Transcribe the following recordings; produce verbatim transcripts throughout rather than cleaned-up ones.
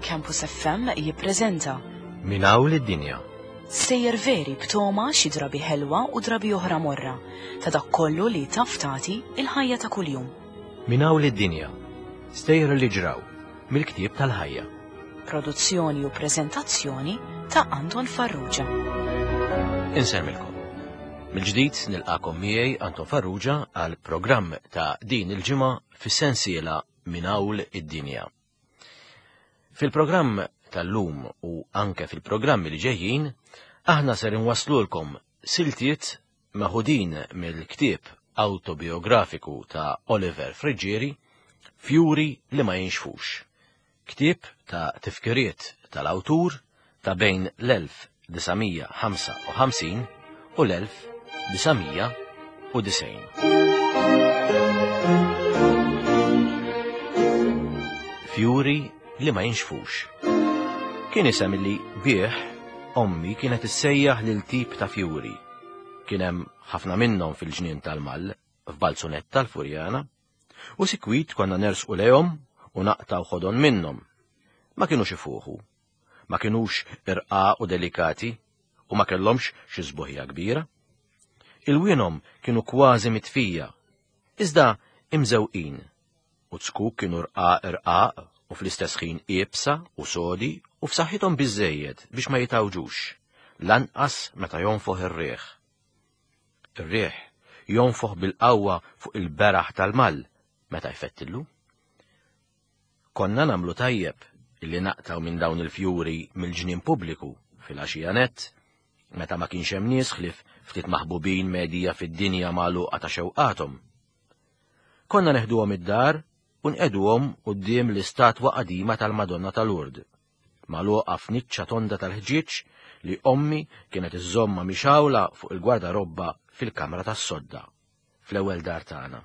Campus F M jippreżenta Minn hawn lid-dinja. Sejjer veri b'toma xi drabi ħelwa u drabi oħra morra ta' dak kollu li taf tagħti il-ħajja ta' kuljum. Minn hawn lid-dinja. Stejjer li ġraw mill-ktieb tal-ħajja. Produzzjoni u preżentazzjoni ta' Anton Farrugia. Insemmilkom. Mill-ġdid nilqakom miegħi Anton Farrugia għal programm ta' din il-ġimgħa fis-sensiela Minn hawn id-dinja. Fil-programm tal-lum u anke fil-programmi li ġejjin, aħna ser inwaslulkom siltiet meħudin mill-ktieb autobiografiku ta' Oliver Friggieri, Fjuri li ma jinxfux. Ktieb ta' tifkiriet tal-awtur ta' bejn l-elf disa' mija ħamsa u ħamsin u l-elf disa' mija u disgħin. Fjuri li ma jinxfux. Kien isem li bih ommi kienet issejjaħ lil tip ta' fjuri. Kien hemm ħafna minnhom fil-ġnien tal-Mall, f'Balzunett tal-Furjana, u sikwit konna nersqu lejhom u naqtaw ħodon minnhom. Ma kinux ifuħu, ma kinux irqaq u delikati, u ma kellhomx xi sbuħija kbira. Il-wienhom kienu kważi mitfija, iżda imżewqin, u zkuk kienu rqaq irqaq u fl-istess ħin iebsa u sodi u f'saħħithom biżżejjed biex ma jitawġux, lanqas meta jonfoħ ir-riħ. Ir-riħ jonfoħ bil-qawwa fuq il-beraħ tal-Mall meta jfettillu. Konna nagħmlu tajjeb illi naqtaw minn dawn il-fjuri mill-ġnien pubbliku fil-għaxija nett, meta ma kienx hemm nies ħlief ftit maħbubin medija fid-dinja magħluqa ta' xewqathom. Konna neħduhom id-dar u nqeduhom quddiem l-istatwa qadima tal-Madonna tal-Lourdes, magħluqa f'niċċa tonda tal-ħġieġ li ommi kienet iżżommha mixawla fuq il-gwardarobba fil-kamra tas-sodda, fl-ewwel dar tagħna.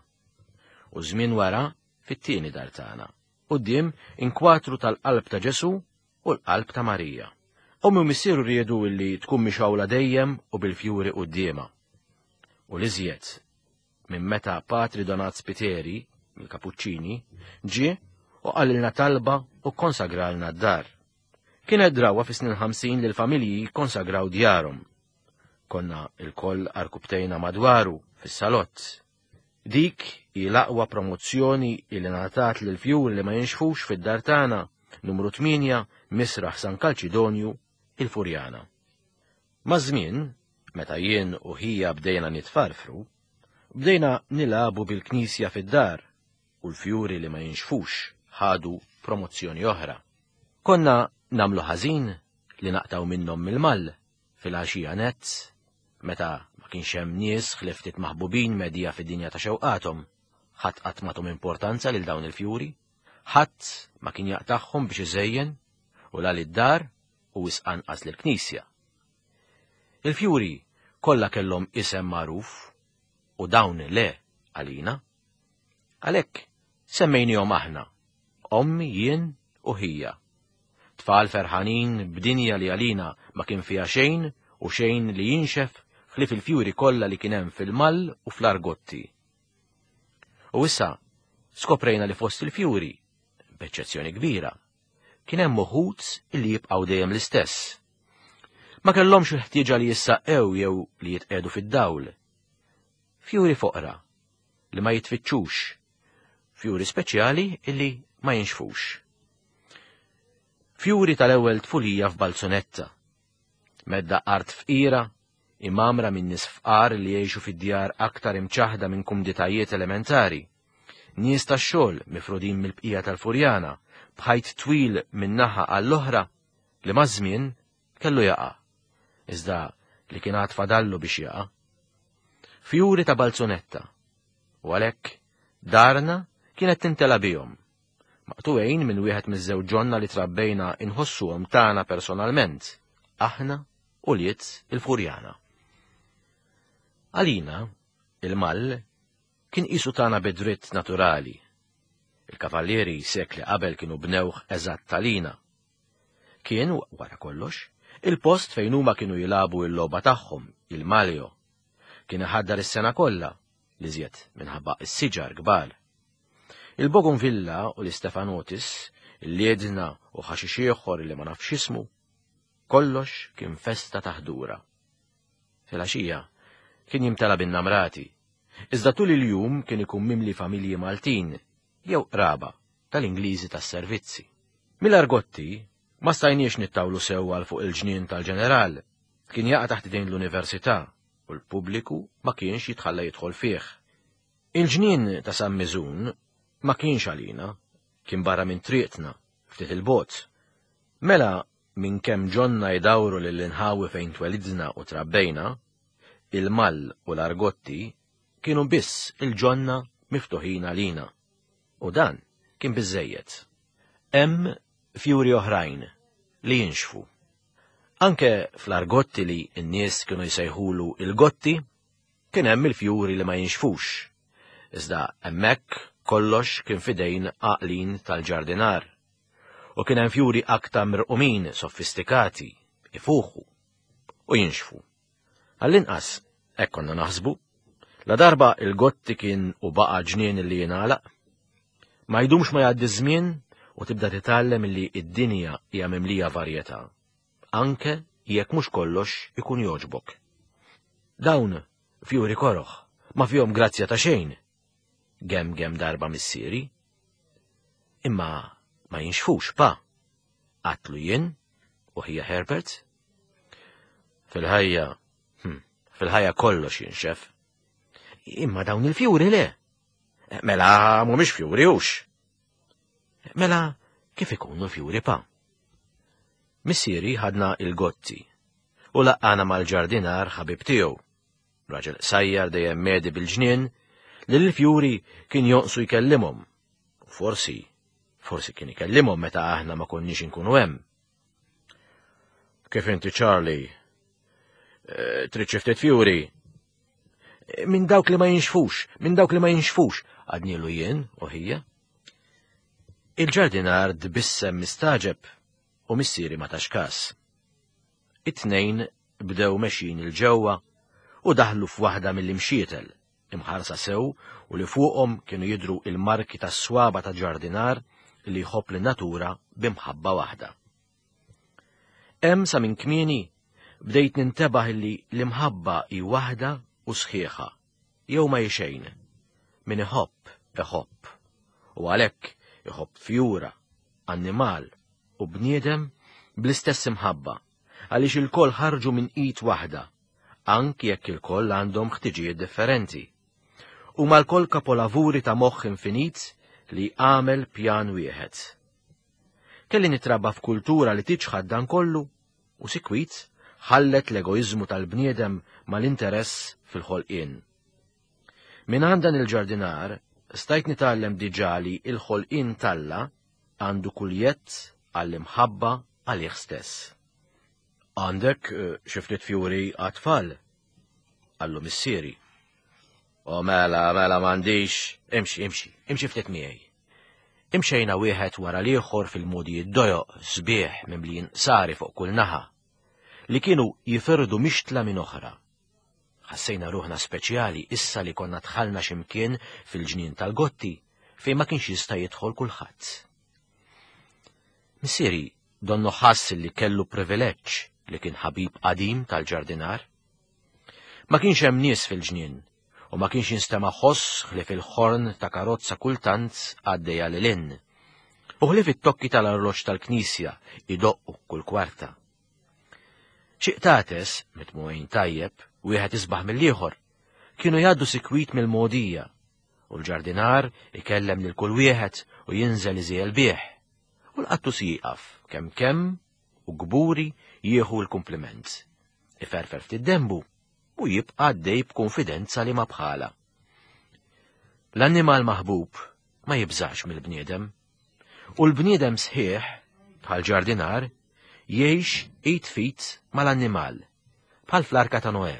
U żmien wara fit-tieni dar tagħna, quddiem inkwatru tal-qalb ta' Ġesu u l-qalb ta' Marija. Ommi u missieru riedu illi tkun mixawla dejjem u bil-fjuri quddiemha. U l-iżjed minn meta Patri Donat Spiteri, mill-Kapuċċini, ġie u qalilna talba u konsagralna d-dar. Kienet drawa fis-snin ħamsin li l-familji konsagraw djarhom. Konna il-koll arkubtejna madwaru fis-salott. Dik hi l-aqwa promozzjoni li ngħatat lil fjuri li ma jinxfux fid-dar tagħna, numru tmienja, Misraħ San Kalċidonju, il-Furjana. Maż-żmien, meta jien u ħija bdejna nitfarfru, bdejna nilagħbu bil-knisja fid-dar u l-fjuri li ma jinxfux ħadu promozzjoni oħra. Konna namlu ħażin li naqtaw minnhom mill-Mall fil-għaxija nett, meta ma kienx hemm nies ħlief ftit maħbubin medija fid-dinja ta' xewqathom. Ħadd qatt m'għathom importanza lil dawn il-fjuri, ħadd ma kien jaqtagħhom biex iżejjen u la lid-dar u wisq anqas lill-knisja. Il-fjuri kollha kellhom isem magħruf u dawn le għalina. Għalhekk semmejnihom aħna, ommi, jien u ħija. Tfal ferħanin b'dinja li għalina ma kien fiha xejn u xejn li jinxef ħlief il-fjuri kollha li kien hemm fil-Mall u fl-Argotti. U issa skoprejna li fost il-fjuri, b'eċċezzjoni kbira, kien hemm uħud illi jibqgħu dejjem l-istess. Ma kellhomx il-ħtieġa li jissaqqew jew li jitqiegħdu fid-dawl. Fjuri foqra li ma jitfittxux, fjuri speċjali illi ma jinxfux. Fjuri tal-ewwel tfulija f'Balzunetta, medda art fqira, imamra minn nies fqar li jgħixu fid-djar aktar imċaħda minn kumditajiet elementari, nies tax-xogħol mifrudin mill-bqija tal-Furjana, b'ħajt twil minn naħa għall-oħra li maż-żmien kellu jaqa', iżda li kien għad fadallu biex jaqa'. Fjuri ta' Balzunetta, u għalhekk darna kienet tintela bihom, maqtuwejn minn wieħed miż-żewġ ġonna li trabbejna inħossuhom tagħna personalment, aħna u liet il-Furjana. Għalina, il-Mall kien qisu tagħna bidritt naturali. Il-kavallieri sekli qabel kienu bnewh eżatt għalina. Kien, wara kollox, il-post fejn huma kienu jilagħbu l-logħba tagħhom, il-Maljo. Kien iħaddar is-sena kollha, li żjed minħabba s-siġar kbar. Il-Bougainvillea u l-Istefanotis, il-liedna u ħaxix ieħor li ma nafx ismu. Kollox kien festa ta' ħdura. Filgħaxija kien jimtela bin-namrati, iżda tul il-jum kien ikun mimli familji Maltin jew qraba tal-Ingliżi tas-servizzi. Mill-Argotti ma stajniex nittawlu sew għal fuq il-ġnien tal-ġeneral, kien jaqa' taħt idejn l-università u l-pubbliku ma kienx jitħalla jidħol fih. Il-ġnien ta' San Miżun ma kienx għalina, kien barra minn triqtna, ftit il-bogħod. Mela minn kemm ġonna jdawru lill-inħawi fejn twelidna u trabbejna, il-Mall u l-Argotti kienu biss il-ġonna miftuħin għalina. U dan kien biżejjed. Hemm fjuri oħrajn li jinxfu. Anke fl-Argotti li n-nies kienu jsejħulu il-Gotti, kien hemm il-fjuri li ma jinxfux. Iżda hemmhekk kollox kien fidejn għaqlin tal-ġardinar. U kien hemm fjuri aktar mirqumin, sofistikati, ifuħu u jinxfu. Għall-inqas, hekk konna naħsbu, la darba il-Gotti kien u baqa' ġnien li jingħalaq. Ma jdumx ma jgħaddi żmien u tibda titgħallem li id-dinja hija mimlija varjetà, anke jekk mhux kollox ikun jogħġbok. Dawn fjuri koroħ, ma fihom grazzja ta' xejn. Gem gem darba missieri. Imma ma jinxfux, pa. Għedtlu jien u ħija Herbert. Fil-ħajja, hm, fil-ħajja kollox jinxef. Imma dawn il-fjuri le. Mela mhumiex fjuri hux. Mela kif ikunu fjuri pa? Missieri ħadna il-Gotti u laqqana mal-ġardinar ħabib tiegħu. Raġel sajjar dejjem medi bil-ġnien li l-fjuri kien jonqsu jkellimhom. U forsi, forsi kien ikellimhom meta aħna ma konniex inkunu hemm. Kif inti Charlie? E, trid xi ftit fjuri? Minn dawk li ma jinxfux, minn dawk li ma jinxfux, għednielu jien u ħija. Il-ġardinar tbissem mistaġeb u missieri ma tax kas. It-tnejn bdew mexjin 'il ġewwa u daħlu f'waħda mill-imxietel, imħarsa sew u li fuqhom kienu jidru il-marki tas-swaba ta' ġardinar li jħobb lin-natura b'imħabba waħda. Hemm sa minn kmieni bdejt nintebaħ li l-imħabba hi waħda u sħiħa, jew ma hi xejn. Min iħobb, iħobb. U għalhekk iħobb fjura, annimal u bniedem bl-istess imħabba, għaliex ilkoll ħarġu minn id waħda, anki jekk ilkoll għandhom ħtiġijiet differenti. Huma lkoll kapolavuri ta' moħħ infinit li għamel pjan wieħed. Kelli nitrabba f'kultura li tiċħad dan kollu u sikwit ħallet l-egoizmu tal-bniedem mal-interess fil-ħolqien. Minn għand dan il-ġardinar stajt nitgħallem diġà li il-ħolqien t'Alla għandu kull jedd għall-imħabba għalih stess. Għandek eh, xi ftit fjuri għat-tfal? Qallu missieri. O mela, mela m'għandix, imxi, imxi, imxi ftit miegħi. Imxejna wieħed wara l-ieħor fil-mogħdijiet dojoq sbieħ mimlijin qsari fuq kull naħa, li kienu jifirdu mixtla minn oħra. Ħassejna ruħna speċjali issa li konna dħalna ximkien fil-ġnien tal-Gotti fejn ma kienx jista' jidħol kulħadd. Missieri donnu ħass li kellu privileġġ li kien ħabib qadim tal-ġardinar. Ma kienx hemm nies fil-ġnien u ma kienx jinstema' ħoss ħlief il-ħorn ta' karozza kultant għaddejja lil hinn. U ħlief it-tokki tal-arloġġ tal-knisja idoqqu kull kwarta. Xi qtates, mitmugħin tajjeb, wieħed isbaħ mill-ieħor, kienu jgħaddu sikwit mill-mogħdija, u l-ġardinar ikellem lil kull wieħed u jinżel iżiegħel bih. U l-qattus jieqaf kemm kemm u kburi jieħu l-kumpliment. Iferfer ftit dembu u jibqa' għaddej b'konfidenza li ma bħala. L-annimal maħbub ma jibżax mill-bniedem, u l-bniedem sħiħ, bħal ġardinar, jgħix id f'id mal-annimal, bħal fl-arka ta' Noè,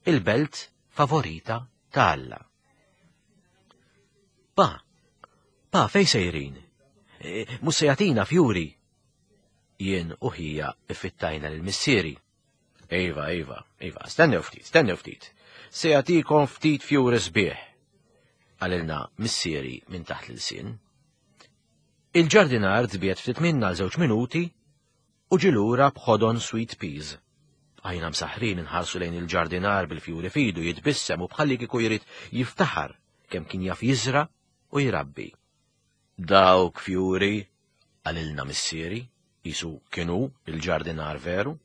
il-belt favorita ta' Alla. Pa, pa, fej sejrin? E, mhux se jagħtina fjuri. Jien u ħija iffittajna lil missieri. Iva, iva, iva, stennew ftit, stennew ftit. Se jagħtikom ftit fjuri sbieħ. Qalilna missieri minn taħt l-ilsien. Il-ġardinar tbiet ftit minna għal żewġ minuti u ġie lura b'ħodon sweet peas. Għajna msaħrin inħarsu lejn il-ġardinar bil-fjuri fidu jitbissem u bħalli kieku jrid jiftaħar kemm kien jaf jiżra u jrabbi. Dawk fjuri, qalilna missieri, jisu kienu il-ġardinar veru.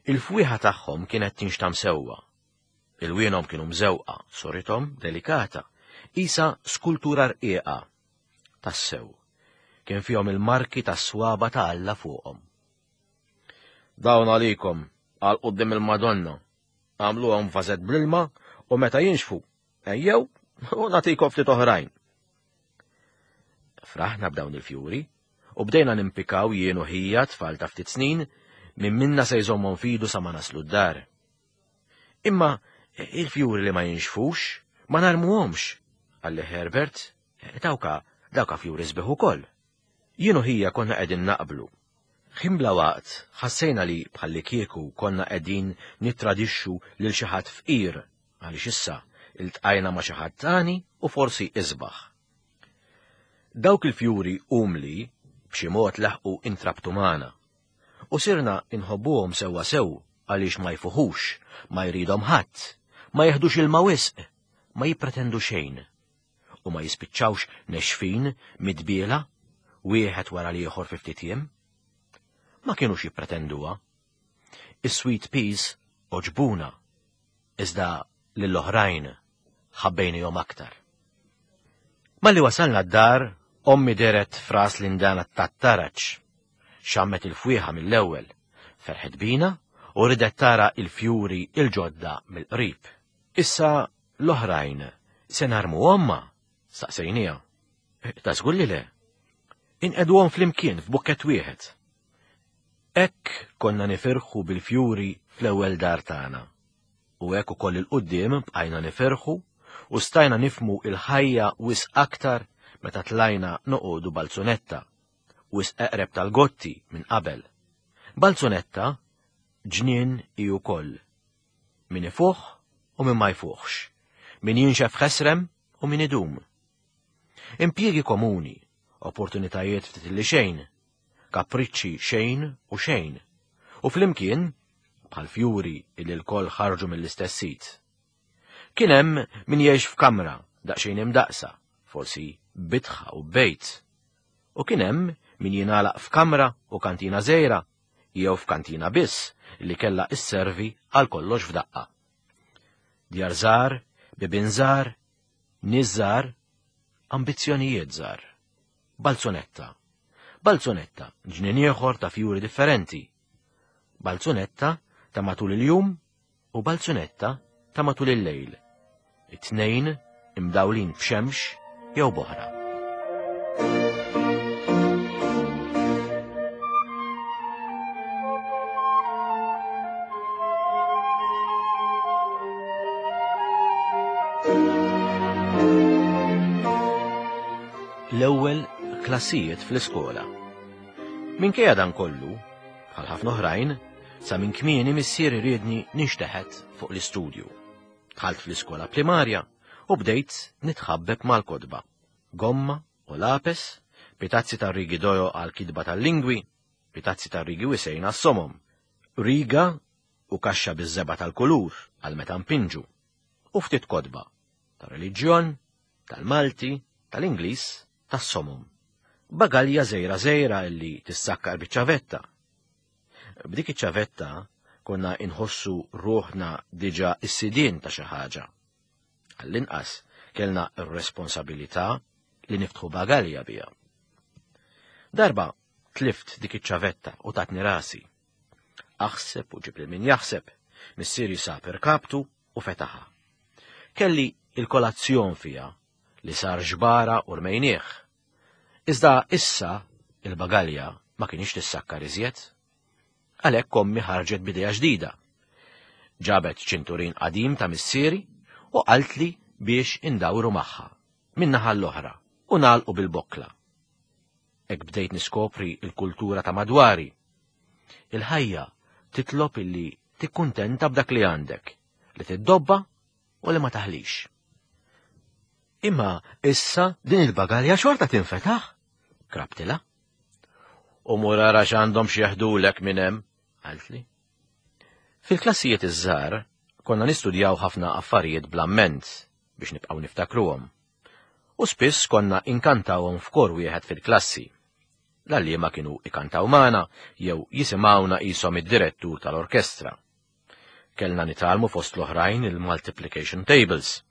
Il-fwieħa tagħhom kienet tinxtam sewwa. Il-wienhom kienu mżewqa, sorithom delikata, isa skultura rqiqa. Tassew, kien fihom il-marki tas-swaba ta' Alla fuqhom. Dawn għalikom, għal quddiem il-Madonna, għamluhom vażett bl-ilma u meta jinxfu, ejjew u nagħtikom ftit oħrajn. Fraħna b'dawn il-fjuri u bdejna nimpikaw jien u ħija tfal ta' ftit snin minn minna se jżommhom fidu sa ma naslu d-dar. Imma il-fjuri li ma jinxfux ma narmuhomx, qalli Herbert, dawka dawka fjuri sbieħ ukoll. Jien u ħija konna qegħdin naqblu. Ħin bla waqt ħassejna li bħalli kieku konna qegħdin nittradixxu lil xi ħadd fqir għaliex issa iltqajna ma' xi ħadd tani u forsi isbaħ. Dawk il-fjuri umli b'xi mod laħqu intrabtu magħna u sirna inħobbuhom sewwa sew għaliex ma jfuħux, ma jridhom ħadd, ma jeħdux ilma wisq, ma jippretendu xejn u ma jispiċċawx nexfin midbiela wieħed wara l-ieħor fi ftit jiem. Ma kienux jippretenduha. Is-sweet peas oġbuna, iżda lill-oħrajn ħabbejnihom aktar. Malli wasalna d-dar, ommi deret fras l-indana tat-taraġ. Xammet il-fwieħa mill-ewwel, ferħet bina u ridet tara il-fjuri il-ġodda mill-qrib. Issa l-oħrajn se narmuhom ma? Staqsejnija. Ta' żgur li le. Inqeduhom flimkien f'bukkett wieħed. Hekk konna nifirħu bil-fjuri fl-ewwel dar tagħna. U hekk ukoll il-quddiem bqajna nifirħu u stajna nifmu il-ħajja wisq aktar meta tlajna noqogħdu balzunetta, wisq eqreb tal-gotti minn qabel. Balzunetta ġnien hi wkoll. Min ifuħ u min ma jfuħx, min jinxef ħesrem u min idum. Impjiegi komuni, opportunitajiet ftit li xejn, kapriċċi xejn u xejn, u flimkien bħal fjuri illi l-koll ħarġu mill-istess sit. Kien hemm min jgħix f'kamra daqsxejn imdaqsa, forsi bitħa u bejt. U kien hemm min jingħalaq f'kamra u kantina żgħira, jew f'kantina biss li kellha isservi għal kollox f'daqqa. Djar żgħar, bibien żgħar, nies żgħar, ambizzjonijiet żgħar. Balzunetta. Balzunetta, ġnien ieħor ta' fjuri differenti. Balzunetta ta' matul il-jum u balzunetta ta' matul il-lejl. It-tnejn imdawlin b'xemx jew boħra. L-ewwel klassijiet fl-iskola. Minkejja dan kollu, bħal ħafna oħrajn, sa minn kmieni missieri riedni ninxteħet fuq l-istudju. Dħalt fl-iskola primarja u bdejt nitħabbeb mal-kotba. Gomma u lapes, pitazzi ta' rigi dojo għal kitba tal-lingwi, pitazzi ta' rigi wisejn għas-somom, riga u kaxxa biż-żebgħa tal-kulur għal meta npinġu, u ftit kotba ta' reliġjon, tal-Malti, tal-Ingliż, tas-somom. Bagalja żgħira żgħira illi tissakkar biċ-ċavetta. B'dik iċ-ċavetta konna inħossu ruħna diġà s-sidien ta' xi ħaġa. Għall-inqas kellna r-responsabilità li niftħu bagalja biha. Darba tlift dik iċ-ċavetta u tatni rasi. Aħseb u ġib lil min jaħseb, missieri sab irkabtu u fetaħha. Kelli il-kolazzjon fiha li sar ġbara u rmejnieh. Iżda issa il-bagalja ma kienx tissakkar iżjed. Għalhekk ommi ħarġet b'idea ġdida. Ġabet ċinturin qadim ta' missieri u qaltli biex indawru magħha min-naħa l-oħra u nagħlqu bil-bokkla. Hekk bdejt niskopri il-kultura ta' madwari. Il-ħajja titlob illi tikkuntenta b'dak li għandek, li tiddobba u li ma taħlix. Imma issa din il-bagalja xorta tinfetaħ. Krabtilha. U mur ara x'għandhom x'jeħdulek minn hemm, qaltli. Fil-klassijiet iż-żgħar konna nistudjaw ħafna affarijiet bl-amment biex nibqgħu niftakruhom. U spiss konna inkantawhom f'kor wieħed fil-klassi. L-għalliema kienu ikantaw magħna jew jisimgħuna qishom id-direttur tal-orkestra. Kellna nitgħallmu fost l-oħrajn il-multiplication tables,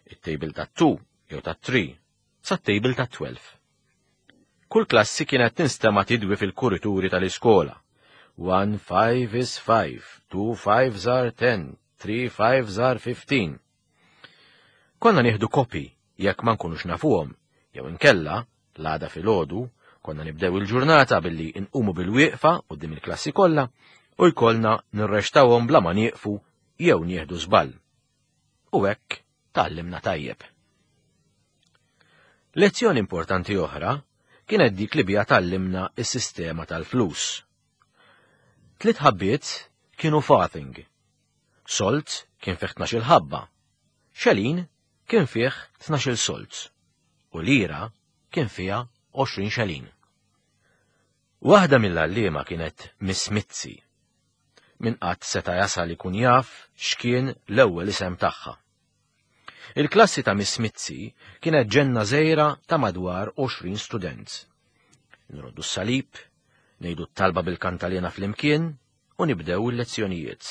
it-table ta' two jew ta' three, sa' table ta' twelve. Kull klassi kienet tinstema' tidwi fil-kurituri tal-iskola. One five is five, two fives are ten, three fives are fifteen. Konna nieħdu kopi jekk ma nkunux nafuhom, jew inkella, l-għada filgħodu, konna nibdew il-ġurnata billi nqumu bil-wieqfa quddiem il-klassi kollha u jkollna nirreċtawhom bla ma nieqfu jew nieħdu żball. U hekk tgħallimna tajjeb. Lezzjoni importanti oħra kienet dik li biha tgħallimna is-sistema tal-flus. Tliet ħabbiet kienu farthing. Solt kien fih tnax-il ħabba. Xelin kien fih tnax-il solt. U lira kien fiha għoxrin xelin. Waħda mill-għalliema kienet Miss Mizzi. Min qatt seta' jasal ikun jaf x'kien l-ewwel isem tagħha. Il-klassi ta' Miss Mizzi kienet ġenna żgħira ta' madwar għoxrin student. Nroddu s-salib, ngħidu t-talba bil-kantalena flimkien u nibdew il-lezzjonijiet.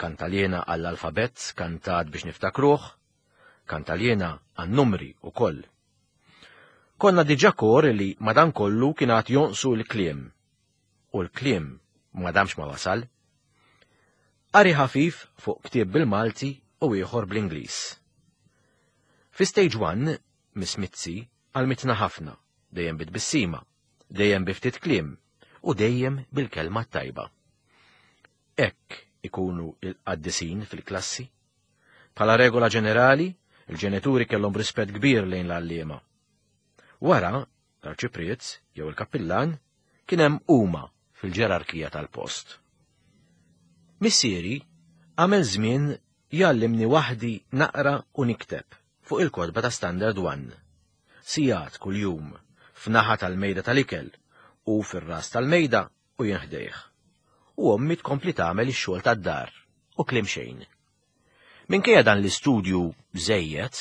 Kantalena għall-alfabett kantat biex niftakruh, kantalena għan-numri u koll. Konna diġà kor li madankollu kien għad jonqsu l-kliem. U l-kliem ma damx ma wasal. Qari ħafif fuq ktieb bil-Malti u ieħor bl-Ingliż. Fi stage one, Miss Mizzi għallmitna ħafna, dejjem bit-tbissima, dejjem bi ftit kliem u dejjem bil-kelma tajba. Hekk ikunu il-qaddisin fil-klassi. Bħala regola ġenerali, il-ġenituri kellhom rispett kbir lejn l-għalliema. Wara, l-arċipriet jew il-kappillan kien hemm huma fil-ġerarkija tal-post. Missieri għamel żmien jgħallimni waħdi naqra u nikteb fuq il-kotba ta' Standard One. Sigħat kuljum, f'naħa tal-mejda tal-ikel u fir-ras tal-mejda u jien ħdejh. U ommi tkompli tagħmel ix-xogħol tad-dar u kliem xejn. Minkejja dan l-istudju żejjed,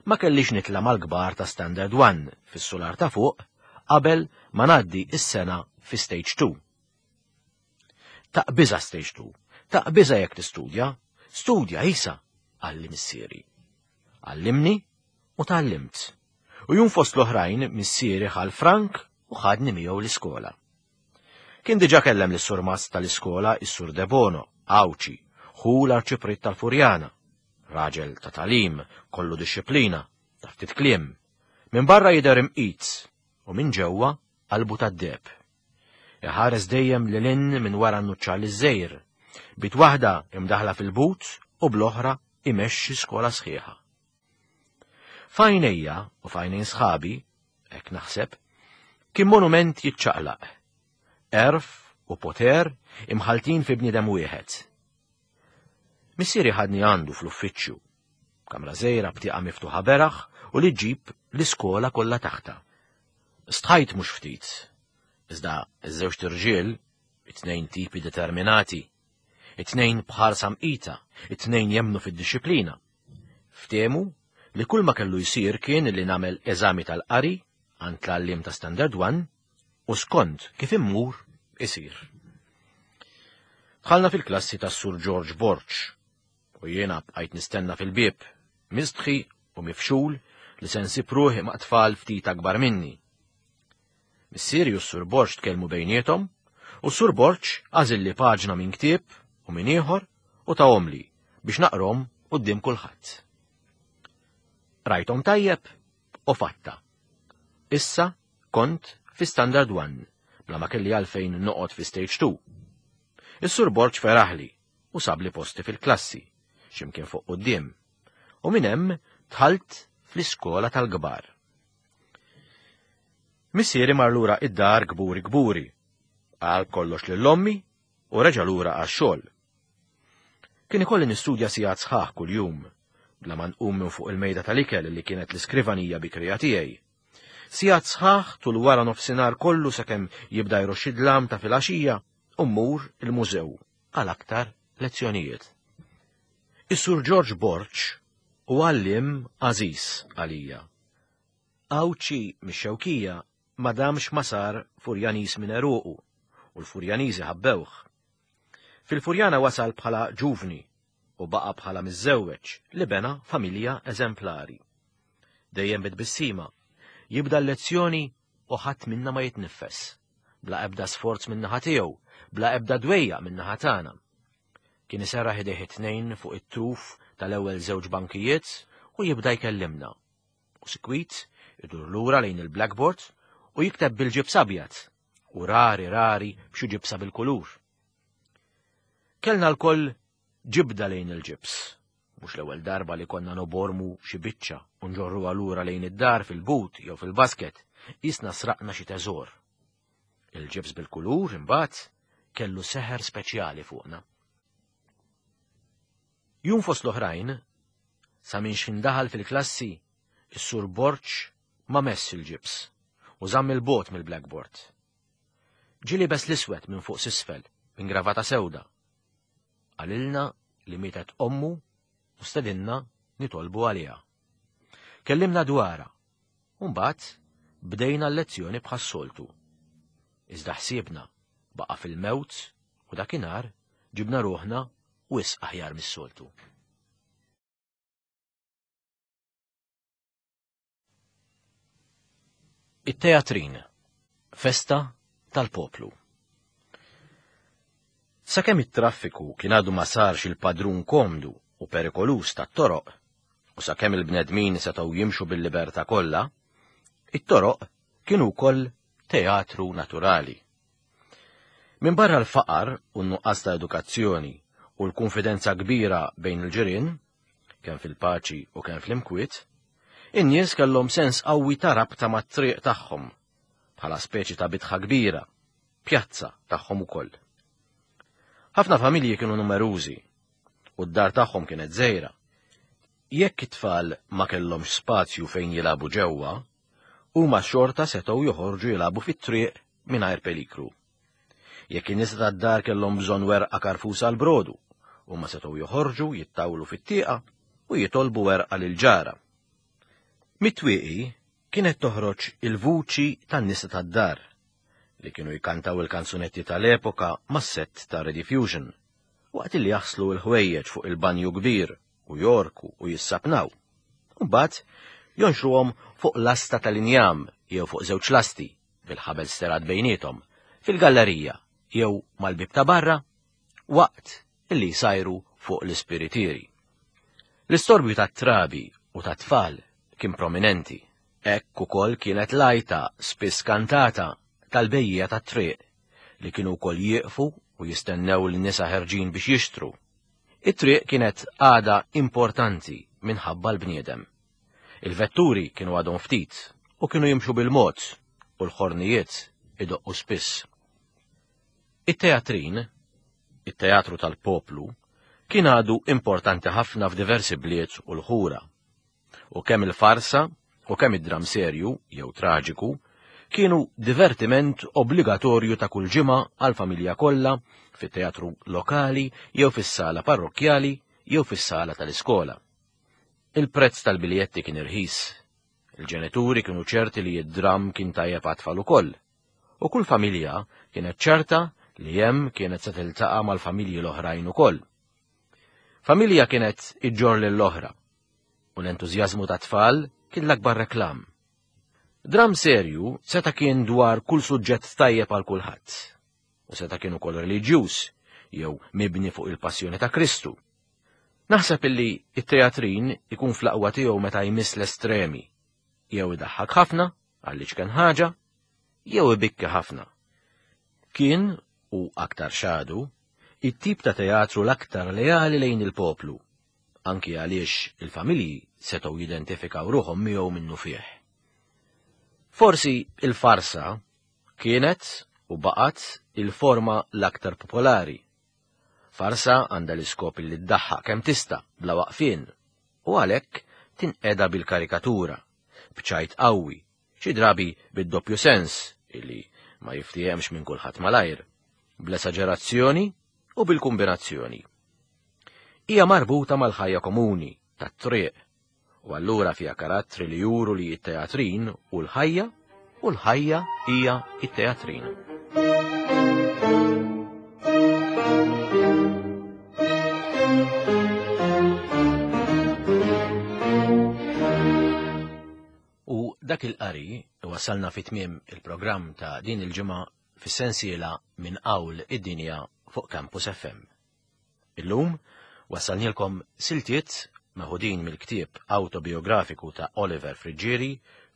ma kellix nitla' mal-kbar ta' Standard One fis-sular ta' fuq qabel ma ngħaddi is-sena fi Stage two. Taqbiża Stage two, taqbiża jekk tistudja, studja isa, qalli missieri. Għallimni u tgħallimt. U jum fost l-oħrajn missieri ħa l-frank u ħadni miegħu l-iskola. Kien diġà kellem lis-surmast tal-iskola is-Sur Debono, Għawdxi, ħu l-arċipriet tal-Furjana, raġel ta' tagħlim, kollu dixxiplina, ta' ftit kliem. Minn barra jidher imqit u minn ġewwa qalbu tad-deheb. Iħares dejjem lil hinn minn wara n-nuċċali żgħir, b'id waħda imdaħla fil-but u bl-oħra imexxi skola sħiħa. F'għajnejja u f'għajnejn sħabi, hekk naħseb, kien monument jiċċaqlaq. Għerf u poter imħaltin fi bniedem wieħed. Missieri ħadni għandu fl-uffiċċju, kamra żgħira b'tieqa miftuħa beraħ u li ġġib l-iskola kollha taħta. Stħajt mhux ftit, iżda iż-żewġt irġiel, it-tnejn tipi determinati, it-tnejn bħarsa mqita, it-tnejn jemmnu fid-dixxiplina. Ftehmu li kull ma kellu jsir kien li nagħmel eżami tal-qari għand l-għalliem ta' Standard One u skont kif immur isir. Dħalna fil-klassi tas Sur George Borg u jiena bqajt nistenna fil-bieb, mistħi u mifxul li se nsib ruħi ma' tfal ftit akbar minni. Missieri u s-Sur Borg tkellmu bejniethom u s-Sur Borg għażilli paġna minn ktieb u minn ieħor u tahomli biex naqrahom quddiem kulħadd. Rajthom tajjeb u fatta. Issa kont fi Standard One, bla ma kelli għalfejn noqgħod fi Stage two. Is-Sur Borg feraħli u sabli posti fil-klassi, x'imkien fuq quddiem, u minn hemm dħalt fl-iskola tal-kbar. Missieri mar lura id-dar kburi kburi, qal kollox lil ommi u reġa' lura għax-xogħol. Kien ikolli nistudja sigħat sħaħ kuljum, bla ma nqum minn fuq il-mejda tal-ikel li kienet l-iskrivanija bikrija tiegħi. Sigħat sħaħ tul wara nofsinhar kollu sakemm jibda jroxx id-dlam ta' filgħaxija u mmur il-mużew għal aktar lezzjonijiet. Is-Sur George Borg hu għalliem għażiż għalija. Għawdxi mix-Xewkija ma damx ma sar Furjaniż minn għeruqu u l-Furjaniżi ħabbewh. Fil-Furjana wasal bħala ġuvni u baqa' bħala miżżewweġ li bena familja eżemplari. Dejjem bit-tbissima, jibda l-lezzjoni u ħadd minna ma jitniffes, bla ebda sforz min-naħa tiegħu, bla ebda dwejjaq min-naħa tagħna. Kien iserraħ idejh it-tnejn fuq it-truf tal-ewwel żewġ bankijiet u jibda jkellimna. U sikwit idur lura lejn il-blackboard u jikteb bil-ġibs abjad u rari rari b'xi ġibsa bil-kulur. Kellna lkoll ġibda lejn il-ġibs, mhux l-ewwel darba li konna nobormu xi biċċa u nġorruha lura lejn id-dar fil-but jew fil-basket, qisna sraqna xi teżor. Il-ġibs bil-kulur imbagħad kellu seħer speċjali fuqna. Jum fost l-oħrajn, sa minn x'ħin daħal fil-klassi, is-Sur Borg ma mess il-ġibs u żamm il-bogħod mill-blackboard. Ġie liebes l-iswed minn fuq s'isfel, minn gravata sewda. Qalilna li mietet ommu u stedinna nitolbu għaliha. Kellimna dwarha, u mbagħad bdejna l-lezzjoni bħas-soltu. Iżda ħsiebna baqa' fil-mewt u dakinhar ġibna ruħna wisq aħjar mis-soltu. It-teatrin, festa tal-poplu. Sakemm it-traffiku kien għadu ma sarx il-padrun komdu u perikolus tat-toroq, u sakemm il-bnedmin setgħu jimxu bil-libertà kollha, it-toroq kienu wkoll teatru naturali. Minn barra l-faqar u n-nuqqas ta' edukazzjoni u l-konfidenza kbira bejn il-ġirien, kemm fil-paċi u kemm fl-imkwiet, in-nies kellhom sens qawwi ta' rabta mat-triq tagħhom, bħala speċi ta' bitħa kbira, pjazza tagħhom ukoll. Ħafna familji kienu numerużi u d-dar tagħhom kienet żgħira. Jekk it-tfal ma kellhomx spazju fejn jilagħbu ġewwa, huma xorta setgħu joħorġu jilagħbu fit-triq mingħajr pelikru. Jekk in-nisa tad-dar kellhom bżonn werqa karfusa għal brodu, huma setgħu joħorġu jittawlu fit-tieqa u jitolbu werqa lil ġara. Mit-twieqi kienet toħroġ il-vuċi tan-nisa tad-dar li kienu jkantaw il-kanzunetti tal-epoka mas-sett ta' Rediffusion, waqt li jaħslu l-ħwejjeġ fuq il-banju kbir u jorku u jissapnaw. Mbagħad jonxruhom fuq lasta tal-injam jew fuq żewġ lasti bil-ħabel sterat bejniethom fil-gallerija jew mal-bib ta' barra waqt li jsajru fuq l-ispiritieri. L-istorbju tat-trabi u tat-tfal kien prominenti. Hekk ukoll kienet lajta spiss kantata tal-bejja tat-triq li kienu wkoll jieqfu u jistennew l-nisa ħerġin biex jixtru. It-triq kienet għada importanti minħabba l-bniedem. Il-vetturi kienu għadhom ftit u kienu jimxu bil-mod u l-ħornijiet idoqqu spiss. It-teatrin, it-teatru tal-poplu, kien għadu importanti ħafna f'diversi bliet u l-ħura. U kemm il-farsa u kemm id-dram serju jew traġiku kienu divertiment obbligatorju ta' kull ġimgħa għall-familja kollha fit-teatru lokali jew fis-sala parrokkjali jew fis-sala tal-iskola. Il-prezz tal-biljetti kien irħis. Il-ġenituri kienu ċerti li d-dram kien tajjeb għat-tfal ukoll. U kull familja kienet ċerta li hemm kienet se tiltaqa' mal-familji l-oħrajn ukoll. Familja kienet iġġor lill-oħra u l-entużjażmu tat-tfal kien l-akbar reklam. Dram serju seta' kien dwar kull suġġett tajjeb għal kulħadd, u seta' kien ukoll reliġjuż jew mibni fuq il-passjoni ta' Kristu. Naħseb illi it-teatrin ikun fl-aqwa tiegħu meta jmiss l-estremi, jew idaħħak ħafna għaliex kien ħaġa, jew ibikki ħafna. Kien, u aktar xadu, it-tip ta' teatru l-aktar leali lejn il-poplu, anki għaliex il-familji setgħu jidentifikaw ruħhom miegħu minnu fih. Forsi il-farsa kienet u baqgħet il-forma l-aktar popolari. Farsa għandha l-iskop li ddaħħaq kemm tista' bla waqfien u għalhekk tinqeda bil-karikatura, b'ċajt qawwi, Xi drabi bid-doppju sens illi ma jiftiehemx minn kulħadd malajr, bl-esaġerazzjoni u bil-kombinazzjoni. Hija marbuta mal-ħajja komuni, tat-triq, u allura fiha karattri li juru li t-teatrin u l-ħajja u l-ħajja hija t-teatrin. U dak il-qari wasalna fi tmiem il-programm ta' din il-ġimgħa fis-sensiela minn qawl id-dinja fuq Campus F M. Illum wasalnilkom siltiet meħudin mill-ktieb autobiografiku ta' Oliver Friggieri,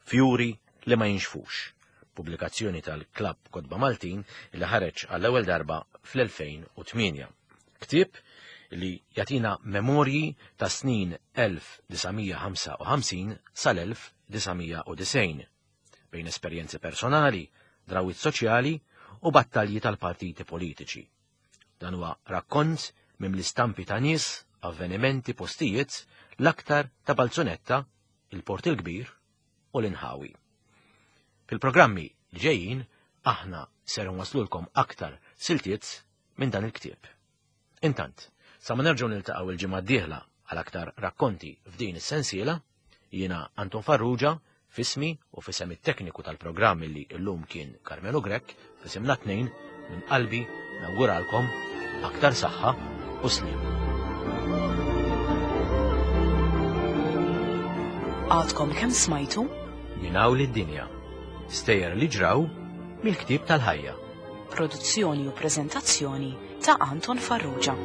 Fjuri li ma jinxfux, pubblikazzjoni tal-Klabb Kotba Maltin li ħareġ għall-ewwel darba fl-elfejn u tmienja. Ktieb li jagħtina memorji ta' snin elf disa' mija ħamsa u ħamsin sal-elf disa' mija u disgħin bejn esperjenzi personali, drawwiet soċjali u battalji tal-partiti politiċi. Dan huwa rakkont mimli stampi ta' nies, avvenimenti, postijiet, l-aktar ta' Balzunetta, il-Port il-Kbir u l-Inħawi. Fil-programmi li ġejjin aħna ser nwaslulkom aktar siltiet minn dan il-ktieb. Intant, sa ma nerġgħu niltaqgħu il-ġimgħa d-dieħla għal aktar rakkonti f'din is-sensiela, jiena Anton Farrugia, f'ismi u f'isem it-tekniku tal-programm li llum kien Carmelo Grech, f'isimna tnejn minn qalbi nawguralkom aktar saħħa u sliem. Għadkom kemm smajtu Minn hawn id-dinja. Stejjer li ġraw mill-ktieb tal-ħajja. Produzzjoni u preżentazzjoni ta' Anton Farrugia.